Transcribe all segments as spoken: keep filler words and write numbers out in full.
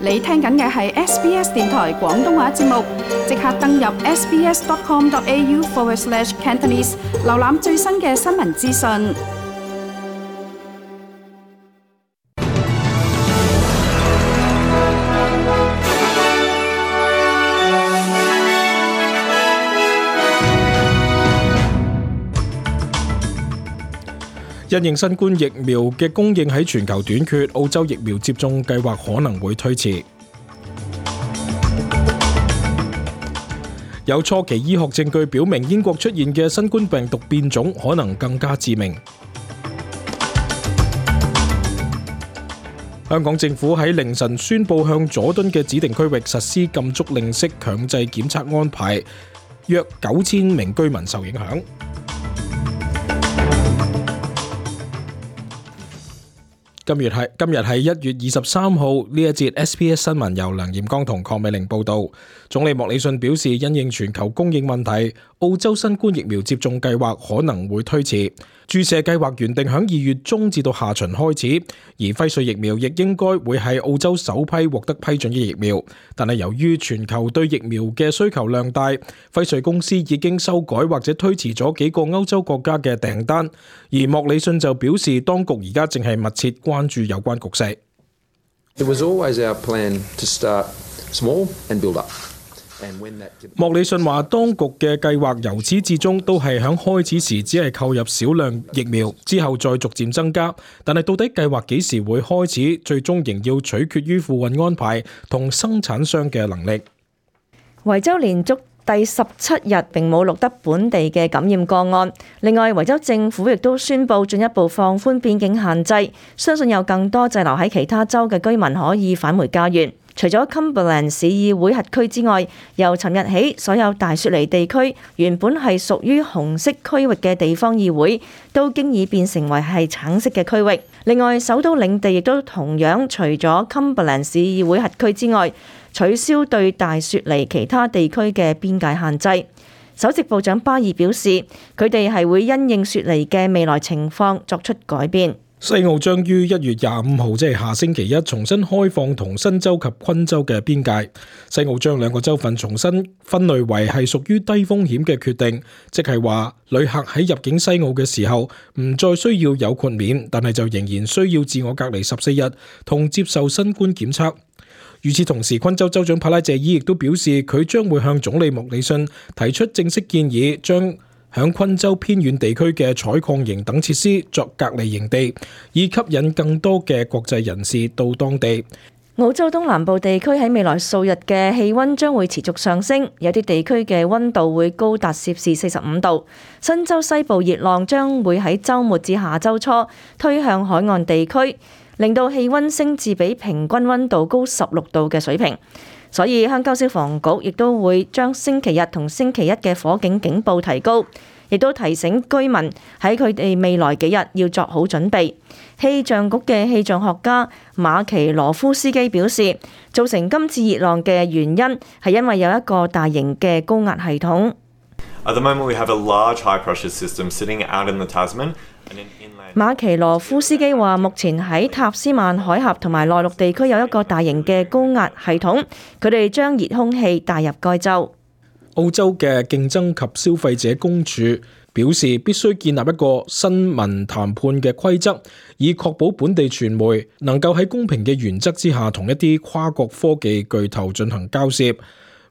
你聽緊嘅係 S B S 電台廣東話節目，即刻登入 sbs.com.au forward slash Cantonese， 瀏覽最新嘅新聞資訊。因應新冠疫苗嘅供應喺全球短缺，澳洲疫苗接種計劃可能會推遲。有初期醫學證據表明，英國出現嘅新冠病毒變種可能更加致命。香港政府喺凌晨宣布向佐敦嘅指定區域實施禁足令式強制檢測安排，約九千名居民受影響。今日係今日係一月二十三號，呢一節 S B S 新聞由梁艷剛同鄺美玲報道。總理莫里遜表示，因應全球供應問題，澳洲新冠疫苗接種計劃可能會推遲。注射計劃原定響二月中至到下旬開始，而輝瑞疫苗亦應該會係澳洲首批獲得批准嘅疫苗。但係由於全球對疫苗嘅需求量大，輝瑞公司已經修改或者推遲咗幾個歐洲國家嘅訂單。而莫里遜就表示，當局而家正係密切關注有關局勢。It was always our plan to start small and build up. 莫里遜話，當局嘅計劃由始至終都係響開始時只係購入少量疫苗，之後再逐漸增加。但係到底計劃幾時會開始，最終仍要取決於付運安排同生產商嘅能力。維州連續第十七日並冇錄得本地嘅感染個案。另外，維州政府亦都宣布進一步放寬邊境限制，相信有更多滯留喺其他州嘅居民可以返回家園。除咗 Cumberland 市議會轄區之外，由尋日起，所有大雪梨地區原本係屬於紅色區域嘅地方議會，都經已變成為係橙色嘅區域。另外，首都領地亦都同樣除咗 Cumberland 市議會轄區之外，取消對大雪梨其他地區嘅邊界限制。首席部長巴爾表示，佢哋係會因應雪梨嘅未來情況作出改變。西澳將於一月廿五號，即係下星期一，重新開放同新州及昆州嘅邊界。西澳將兩個州份重新分類為係屬於低風險嘅決定，即係話旅客喺入境西澳嘅時候唔再需要有豁免，但係就仍然需要自我隔離十四日同接受新冠檢測。與此同時，昆州州長帕拉謝伊亦都表示，佢將會向總理莫里遜提出正式建議，將響昆州偏遠地區嘅採礦營等設施作隔離營地，以吸引更多嘅國際人士到當地。澳洲東南部地區喺未來數日嘅氣溫將會持續上升，有啲地區嘅溫度會高達攝氏四十五度。新州西部熱浪將會喺週末至下週初推向海岸地區，令到氣溫升至比平均溫度高十六度嘅水平。所以鄉郊消防局亦都會將星期日同星期一嘅火警警報提高，亦都提醒居民喺佢哋未來幾日要作好準備。氣象局嘅氣象學家馬奇羅夫斯基表示，造成今次熱浪嘅原因係因為有一個大型嘅高壓系統。At the moment, we have a large high pressure system sitting out in the Tasman. 馬奇羅夫斯基話，目前喺塔斯曼海峽同埋內陸地區有一個大型嘅高壓系統，佢哋將熱空氣帶入該州。澳洲嘅競爭及消費者公署表示，必須建立一個新聞談判嘅規則，以確保本地傳媒能夠喺公平嘅原則之下同一啲跨國科技巨頭進行交涉。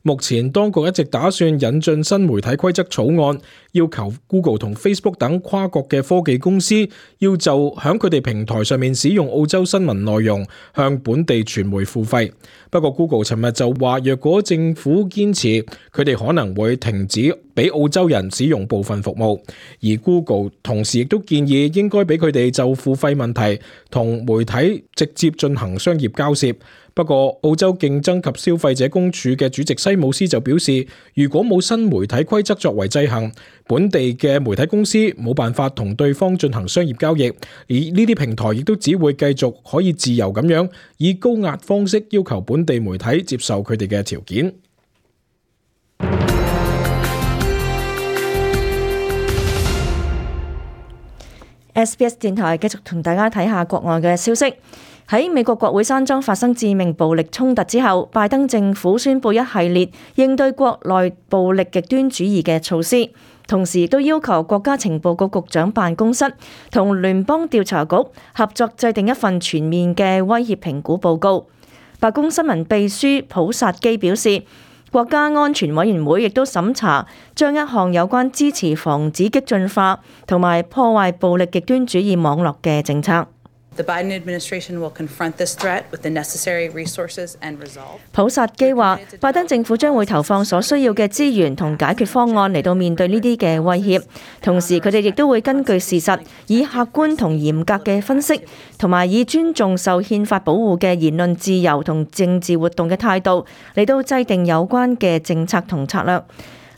目前當局一直打算引進新媒體規則草案，要求 Google 同 Facebook 等跨國嘅科技公司要就響佢哋平台上面使用澳洲新聞內容向本地傳媒付費。不過 Google 尋日就話，若果政府堅持，佢哋可能會停止俾澳洲人使用部分服務。而 Google 同時亦都建議應該俾佢哋就付費問題同媒體直接進行商業交涉。不過，澳洲競爭及消費者公署嘅主席西姆斯就表示，如果冇新媒體規則作為制衡，本地嘅媒體公司冇辦法同對方進行商業交易，而呢啲平台亦都只會繼續可以自由咁樣以高壓方式要求本地媒體接受佢哋嘅條件。S B S 電台繼續同大家睇下國外嘅消息。喺美國國會山莊發生致命暴力衝突之後，拜登政府宣布一系列應對國內暴力極端主義嘅措施，同時亦都要求國家情報局局長辦公室同聯邦調查局合作制定一份全面嘅威脅評估報告。白宮新聞秘書普薩基表示，國家安全委員會亦都審查將一項有關支持防止激進化同埋破壞暴力極端主義網絡嘅政策。The Biden administration will confront this threat with the necessary resources and resolve. 普薩基話，拜登政府將會投放所需要嘅資源同解決方案嚟到面對呢啲嘅威脅，同時佢哋亦都會根據事實，以客觀同嚴格嘅分析，同埋以尊重受憲法保護嘅言論自由同政治活動嘅態度嚟到制定有關嘅政策同策略。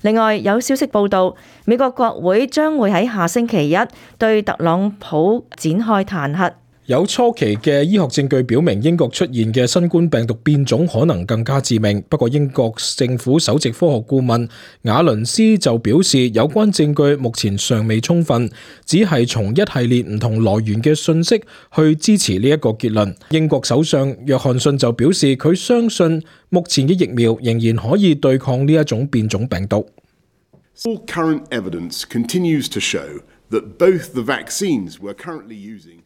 另外有消息報道，美國國會將會喺下星期一對特朗普展開彈劾。有初期嘅醫學證據表明，英國出現嘅新冠病毒變種可能更加致命。不過英國政府首席科學顧問瓦倫斯就表示，有關證據目前尚未充分，只係從一系列唔同來源嘅信息去支持呢一個結論。英國首相約翰遜就表示，佢相信目前嘅疫苗仍然可以對抗呢一種變種病毒。All current evidence continues to show that both the vaccines we're currently using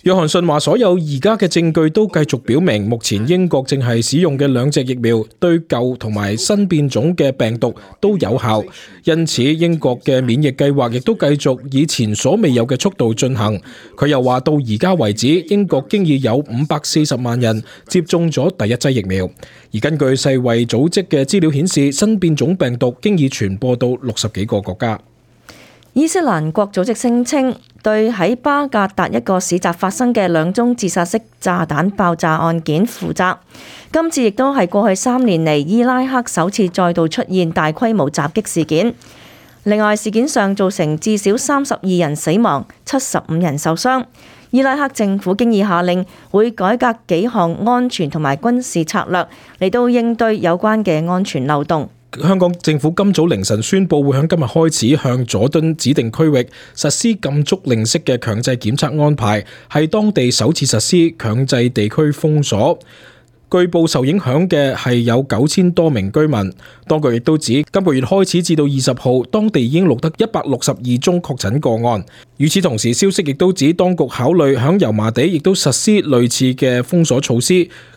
約翰遜話：所有而家嘅證據都繼續表明，目前英國正係使用嘅兩隻疫苗對舊同埋新變種嘅病毒都有效，因此英國嘅免疫計劃亦都繼續以前所未有嘅速度進行。佢又話到而家為止，英國經已有五百四十萬人接種咗第一劑疫苗，而根據世衛組織嘅資料顯示，新變種病毒經已傳播到六十幾個國家。伊斯蘭國組織聲稱對喺巴格達一個市集發生嘅兩宗自殺式炸彈爆炸案件負責。今次亦都係過去三年嚟伊拉克首次再度出現大規模襲擊事件。另外，事件上造成至少三十二人死亡、七十五人受傷。伊拉克政府經已下令會改革幾項安全同埋軍事策略嚟到應對有關嘅安全漏洞。香港政府今早凌晨宣布，會喺今日開始向佐敦指定區域實施禁足令式嘅強制檢測安排，係當地首次實施強制地區封鎖。據報受影響嘅係有九千多名居民。當局亦都指，今個月開始至到二十號，當地已經錄得一百六十二宗確診個案。與此同時，消息亦都指，當局考慮響油麻地亦都實施類似嘅封鎖措施。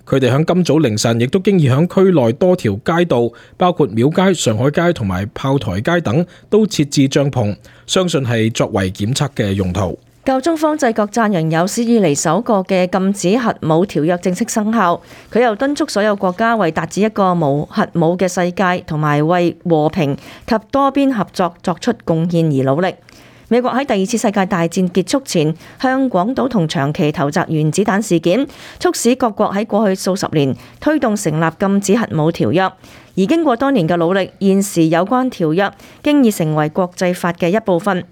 佢哋響今早凌晨亦都經已響區內多條街道，包括廟街、上海街同埋炮台街等，都設置帳篷，相信係作為檢測嘅用途。教宗方濟各讚揚有史以嚟首個嘅禁止核武條約正式生效，佢又敦促所有國家為達至一個無核武嘅世界同埋為和平及多邊合作作出貢獻而努力。美國喺第二次世界大戰結束前向廣島同長崎投擲原子彈事件，促使各國喺過去數十年推動成立禁止核武條約。而經過多年嘅努力，現時有關條約經已成為國際法嘅一部分。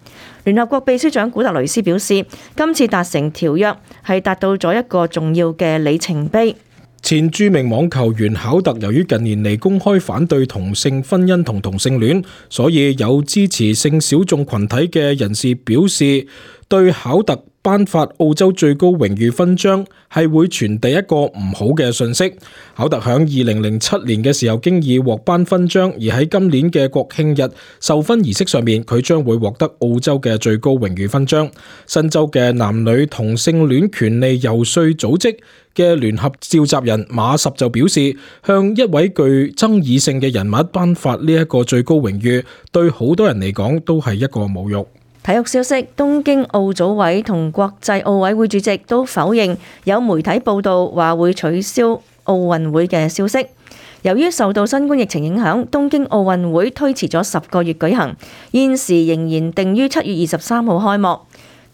聯合國秘書長古特雷斯表示，今次達成條約係達到咗一個重要嘅里程碑。前著名網球員考特由於近年嚟公開反對同性婚姻同同性戀，所以有支持性小眾群體嘅人士表示，對考特頒發澳洲最高榮譽勳章係會傳遞一個唔好嘅信息。考特響二零零七年嘅時候經已獲頒勳章，而喺今年嘅國慶日授勳儀式上面，佢將會獲得澳洲嘅最高榮譽勳章。新州嘅男女同性戀權利遊說組織嘅聯合召集人馬什就表示，向一位具爭議性嘅人物頒發呢一個最高榮譽，對好多人嚟講都係一個侮辱。體育消息，東京奧組委同國際奧委會主席都否認有媒體報道話會取消奧運會嘅消息。由於受到新冠疫情影響，東京奧運會推遲咗十個月舉行，現時仍然定於七月二十三號開幕。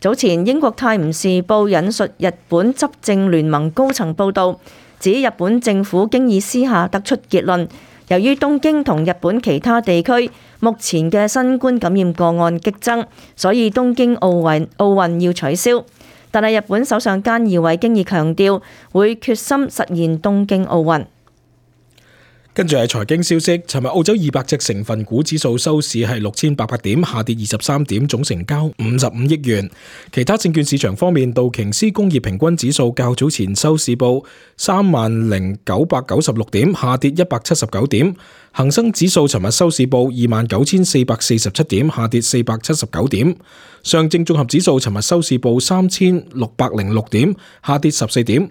早前英國泰晤士報引述日本執政聯盟高層報道，指日本政府經已私下得出結論，由於東京同日本其他地區目前嘅新冠感染個案激增，所以東京奧運奧運要取消。但係日本首相菅義偉經已強調會決心實現東京奧運。跟住係財經消息，尋日澳洲二百隻成分股指數收市係六千八百點，下跌二十三點，總成交五十五億元。其他證券市場方面，道瓊斯工業平均指數較早前收市報三萬零九百九十六點，下跌一百七十九點。恒生指數尋日收市報二萬九千四百四十七點，下跌四百七十九點。上證綜合指數尋日收市報三千六百零六點，下跌十四點。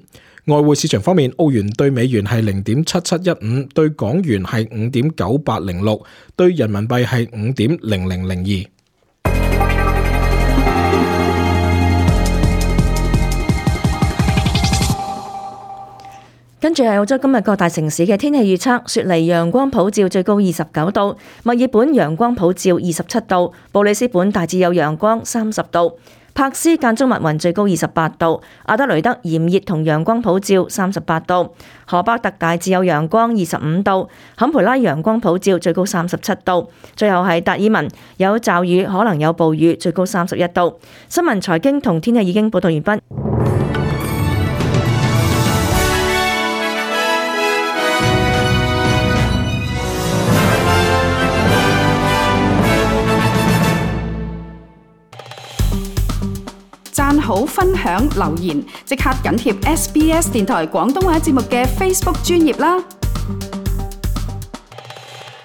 外匯市場方面，澳元對美元係零點七七一五，對港元係五點九八零六，對人民幣係五點零零零二。跟住係澳洲今日各大城市嘅天氣預測：雪梨陽光普照，最高二十九度；墨爾本陽光普照，二十七度；布里斯本大致有陽光，三十度；柏斯間中密雲，最高二十八度；阿德雷德炎熱同陽光普照，三十八度；荷巴特大致有陽光，二十五度；坎培拉陽光普照，最高三十七度；最後係達爾文有驟雨，可能有暴雨，最高三十一度。新聞、財經同天氣已經報道完畢。讚好、分享、留言，即刻緊貼 S B S 電台廣東話節目嘅 Facebook 專頁啦！